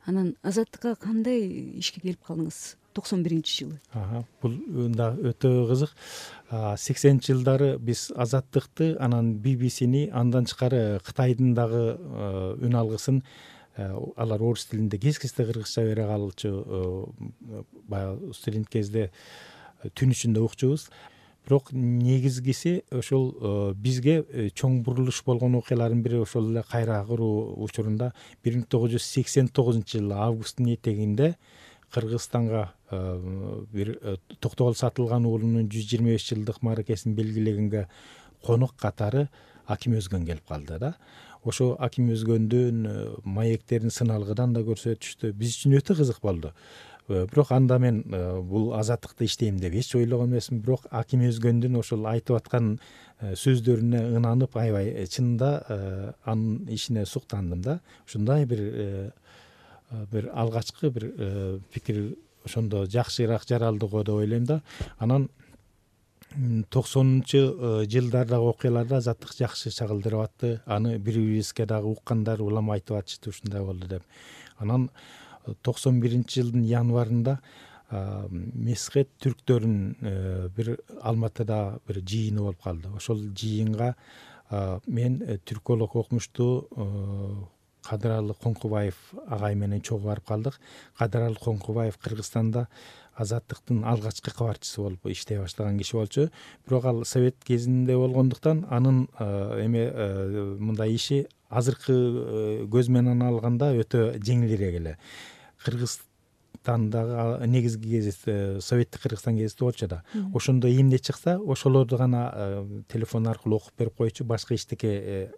Анан Азаттыкка кандай ишке келип калдыңыз 91-жылы? Бул да өтө кызык. 80-жылдары биз Азаттыкты, анан BBC-ни, андан тышкары Кытайдын дагы үн алгысын, алар орус тилинде кез-кезде кыргызча бере калчу, баягы студент кезде түн ичинде укчубуз. Бирок негизгиси ошол бизге чоң бурулуш болгон окуялардын бири ошол эле кайра куруу учурунда 1989-жылы августтун этегинде Кыргызстанга бир Токтогул Сатылган уулунун 125 жылдык мааракесин белгилегенге конок катары Аким Өзгөн келип калды да. Ошо Аким Өзгөндүн маектерин сыналгыдан да көрсөтүштү. Биз үчүн өтө кызык болду. Бирок анда мен бул Азаттыкта иштейм деп эч ойлогон эмесмин. Бирок Аким Өзгөндүн ошол айтып аткан сөздөрүнө ынанып, аябай чынында анын ишине суктандым да. Ушундай бир алгачкы бир пикир ошондо жакшыраак жаралды го деп ойлойм да. Анан 90-жылдардагы окуяларда Азаттык жакшы чагылдырып атты. Аны бири-бирибизге дагы уккандар улам айтып атышты, ушундай болду деп. Анан 91-жылдын январында Месхет түрктөрүнүн бир Алматыда бир жыйыны болуп калды. Ошол жыйынга мен түрколог окумуштуу Кадыралы Коңкубаев агай менен чогуу барып калдык. Кадыралы Коңкубаев Кыргызстанда Азаттыктын алгачкы кабарчысы болуп иштей баштаган киши болчу. Бирок ал совет кезинде болгондуктан анын мындай иши азыркы көз менен алганда өтө жеңилирээк эле. Кыргызстандагы негизги гезит Советтик Кыргызстан гезити болчу да. Ошондо эмне чыкса, ошолорду гана телефон аркылуу окуп берип койчу, башка эчтеке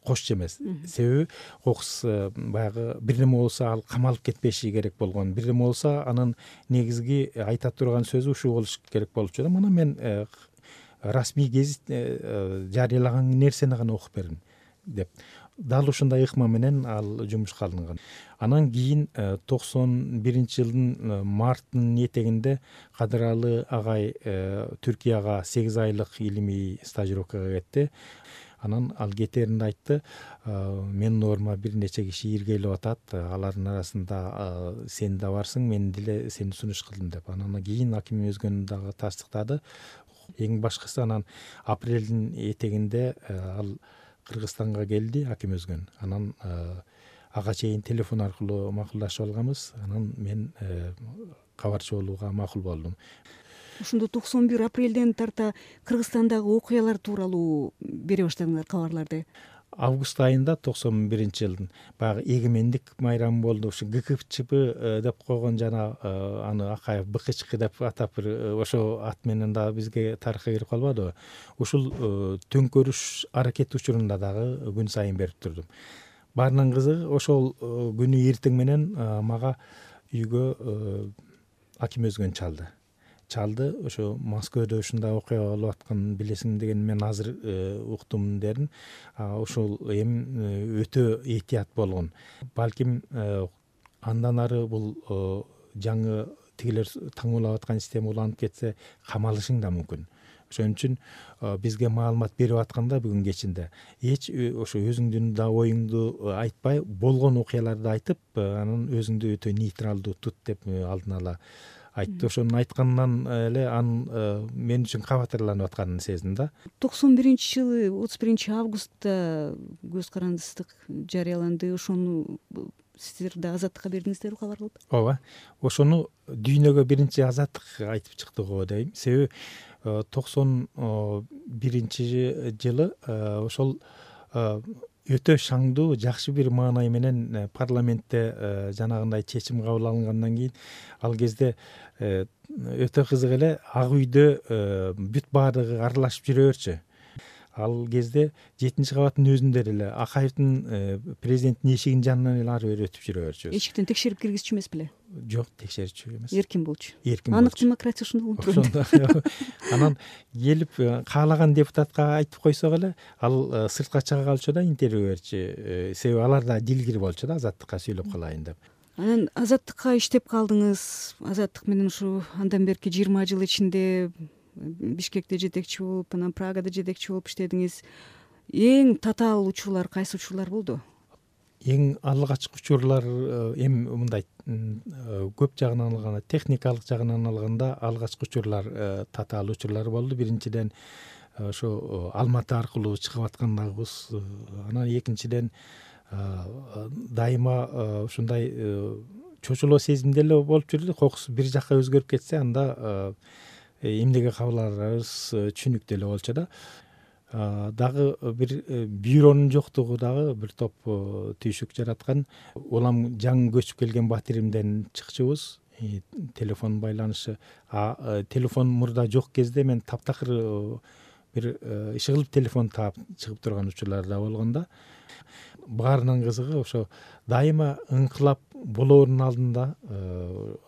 кошчу эмес. Себеби кокус баягы бирдеме болсо ал камалып кетпеши керек болгон. Бирдеме болсо анын негизги айта турган сөзү ушул болуш керек болчу да. Мына мен расмий гезит жарыялаган нерсени гана окуп бердим деп. Дал ушундай ыкма менен ал жумушка алынган. Анан кийин 91-жылдын марттын этегинде Кадыралы агай Түркияга 8 айлык илимий стажировкага кетти. Анан ал кетээринде айтты, менин ордума бир нече киши иргелеп атат, алардын арасында сен да барсың, мен деле сени сунуш кылдым деп. Анан кийин Аким Өзгөн дагы тастыктады. Эң башкысы анан апрелдин этегинде ал Кыргызстанга келди, Аким Өзгөн. Анан ага чейин телефон аркылуу макулдашып алганбыз. Анан мен кабарчы болууга макул болдум. Ошондо 91 апрелден тарта Кыргызстандагы окуялар тууралуу бере баштадыңар кабарларды. Август айында 91-жылдын баягы эгемендик майрамы болду. Ушу ГКЧП деп койгон жана аны Акаев БКЧК деп атап ошо ат менен дагы бизге тарыхка кирип калбадыбы. Ушул төңкөрүш аракети учурунда дагы күн сайын берип турдум. Баарынан кызыгы ошол күнү эртең менен мага үйгө Аким Өзгөн чалды. Ошо Москвада ушундай окуя болуп атканын билесиң деген мен азыр уктум дедим. Ошол эми өтө этият болгон. Балким андан ары бул жаңы тигилер таңуулап аткан система уланып кетсе камалышың да мүмкүн. Ошон үчүн бизге маалымат берип атканда бүгүн кечинде эч ошо өзүңдүн да оюңду айтпай, болгон окуяларды айтып, анан өзүңдү өтө нейтралдуу тут деп алдын ала айтты. Ошону айткандан эле анын мен үчүн кабатырланып атканын сездим да. 91-жылы 31 августта көз карандысыздык жарыяланды. Ошону сиздер да Азаттыкка бердиңиздерби кабар кылып? Ооба. Ошону дүйнөгө биринчи Азаттык айтып чыкты го дейм. Себеби 91-жылы ошол өтө шаңдуу, жакшы бир маанай менен парламентте жанагындай чечим кабыл алынгандан кийин ал кезде өтө кызык эле Ак үйдө бүт баардыгы аралашып жүрө берчү. Ал кезде 7-кабаттын өзүндө эле Акаевдин президенттин эшигинин жанынан эле ары бери өтүп жүрө берчүбүз. Эшиктен текшерип киргизчү эмес беле? Жок, текшерчү эмес. Эркин болчу. Анык демократия ошондой болуп турат. Анан келип каалаган депутатка айтып койсок эле ал сыртка чыга калчу да интервью берчү. Себеби алар да дилгир болчу да Азаттыкка сүйлөп калайын деп. Анан Азаттыкка иштеп калдыңыз. Азаттык менен ушу андан берки 20 жыл ичинде Бишкекте жетекчи болуп, анан Прагада жетекчи болуп иштедиңиз. Эң татаал учурлар кайсы учурлар болду? эң алгачкы учурлар эми мындай көп жагынан алганда, техникалык жагынан алганда алгачкы учурлар татаал учурлар болду. Биринчиден ошо Алматы аркылуу чыгып аткандагыбыз, анан экинчиден дайыма ушундай чочулоо сезимде эле болуп жүрдү. Кокус бир жакка өзгөрүп кетсе, анда эмнеге кабыл аларыбыз түшүнүктүү эле болчу да. Дагы бир бюронун жоктугу дагы бир топ түйшүк жараткан. Улам жаңы көчүп келген батиримден чыкчубуз. Телефон байланышы, телефон мурда жок кезде мен таптакыр бир иши кылып телефон таап чыгып турган учурлар да болгон да. Баарынан кызыгы ошо дайыма ыңкылап болоорунун алдында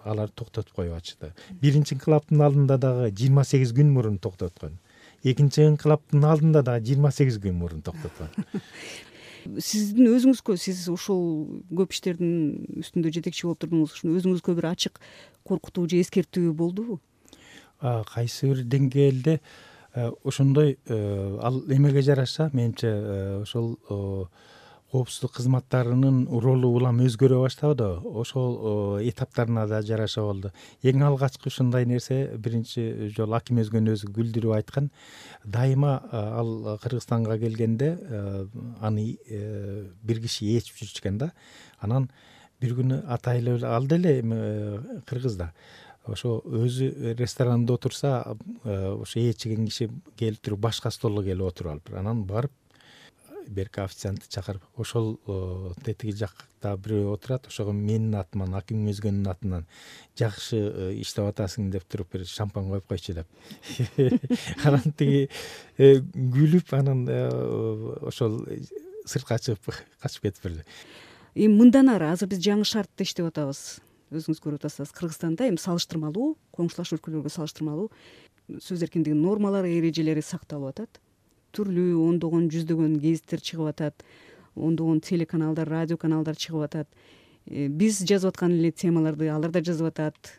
алар токтотуп коюп атышты. Биринчи ыңкылаптын алдында дагы 28 күн мурун токтоткон. Экинчи ыңкылаптын алдында дагы 28 күн мурун токтоткон. Сиздин өзүңүзгө, сиз ушул көп иштердин үстүндө жетекчи болуп турдуңуз, ушуну өзүңүзгө бир ачык коркутуу же эскертүү болдубу? Кайсы бир деңгээлде ошондой ал эмеге жараша менимче ошол коопсуздук кызматтарынын ролу улам өзгөрө баштабады. Ошол этаптарына да жараша болду. Эң алгачкы ушундай нерсе биринчи жолу Аким өзгөнү өзү күлдүрүп айткан. Дайыма ал Кыргызстанга келгенде аны бир киши ээчип жүрчү экен да. Анан бир күнү атайлы ал деле кыргызда. Ошо өзү ресторанда отурса, ошо ээчиген киши келип туруп башка столго келип отуруп алып, анан барып берки официантты чакырып, ошол тетиги жакта бирөө отурат, ошого менин атыман, Аким өзгөнүн атынан жакшы иштеп атасың деп туруп бир шампан коюп койчу деп. Анан тиги күлүп, анан ошол сыртка чыгып качып кетип берди. Эми мындан ары азыр биз жаңы шартта иштеп атабыз. Өзүңүз көрүп атасыз, Кыргызстанда эми салыштырмалуу, коңшулаш өлкөлөргө салыштырмалуу сөз эркиндигинин нормалары, эрежелери сакталып атат. Түрлүү ондогон, жүздөгөн гезиттер чыгып атат, ондогон телеканалдар, радио каналдар чыгып атат. Биз жазып аткан эле темаларды алар да жазып атат.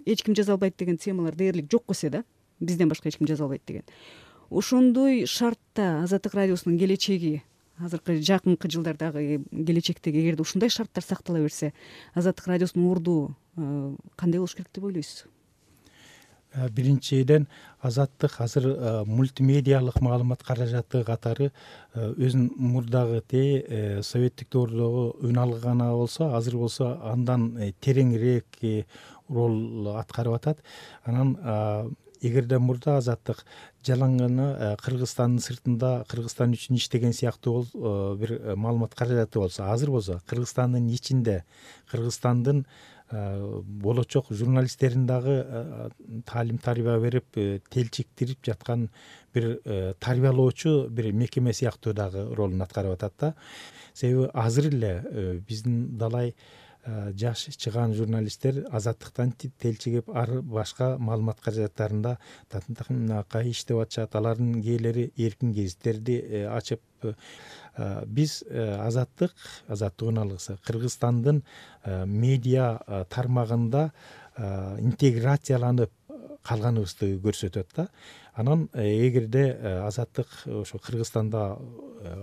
Эч ким жаза албайт деген темалар дээрлик жок болсо да, бизден башка эч ким жаза албайт деген. Ошондой шартта Азаттык радиосунун келечеги, азыркы жакынкы жылдардагы келечектеги, эгерде ушундай шарттар сактала берсе, Азаттык радиосунун орду кандай болуш керек деп ойлойсуз? Биринчиден Азаттык азыр мультимедиалык маалымат каражаты катары өзүнүн мурдагы советтик доордогу үн алганы болсо, азыр болсо андан тереңирээк роль аткарып атат. Анан эгерде мурда Азаттык жалаң гана Кыргызстандын сыртында Кыргызстан үчүн иштеген сыяктуу бир маалымат каражаты болсо, азыр болсо Кыргызстандын ичинде Кыргызстандын болочок журналисттерин дагы таалим тарбия берип, телчиктирип жаткан бир тарбиялоочу бир мекеме сыяктуу дагы ролун аткарып атат да. Себеби азыр эле биздин далай жаш чыгаан журналисттер Азаттыктан телчигип, ар башка маалымат каражаттарында татынакай иштеп атышат. Алардын кээлери эркин гезиттерди ачып, биз Азаттыктын алгысы Кыргызстандын медиа тармагында интеграцияланып калганыбызды көрсөтөт да. Анан эгерде Азаттык ошо Кыргызстанда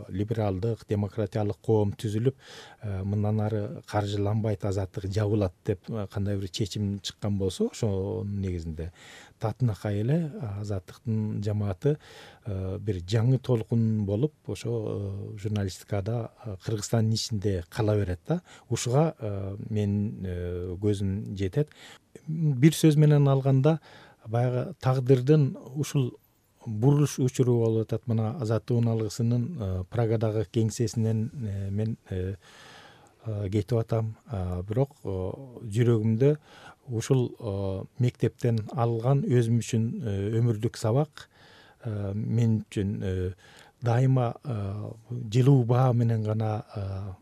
либералдык, демократиялык коом түзүлүп, мындан ары каржыланбайт, Азаттык жабылат деп кандай бир чечим чыккан болсо, ошонун негизинде татынакай эле Азаттыктын жамааты бир жаңы толкун болуп, ошо журналистикада Кыргызстандын ичинде кала берет да. Ушуга менин көзүм жетет. Бир сөз менен алганда, баягы тагдырдын ушул бурулуш учуру болуп атат. Мына Азаттыктын алгысынын Прагадагы кеңсесинен мен кетип атам. Бирок жүрөгүмдө ушул мектептен алган өзүм үчүн өмүрлүк сабак мен үчүн дайыма жылуу баа менен гана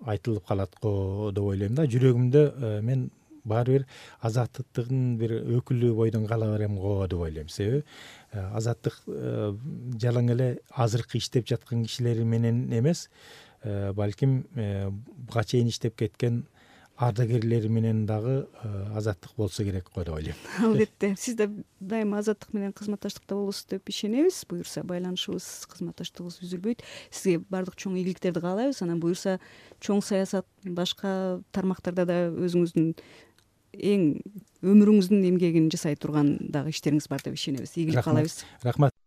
айтылып калат го деп ойлойм да. Жүрөгүмдө мен баары бир Азаттыктын бир өкүлү бойдон кала берем го деп ойлойм. Себеби Азаттык жалаң эле азыркы иштеп жаткан кишилери менен эмес, балким буга чейин иштеп кеткен ардагерлери менен дагы азаттык болсо керек го деп ойлойм. Албетте, сиз да дайыма азаттык менен кызматташтыкта болосуз деп ишенебиз. Буюрса байланышыбыз, кызматташтыгыбыз үзүлбөйт. Сизге баардык чоң ийгиликтерди каалайбыз. Анан буюрса чоң саясат башка тармактарда да өзүңүздүн эң өмүрүңүздүн эмгегин жасай турган дагы иштериңиз бар деп ишенебиз. Ийгилик каалайбыз. Рахмат.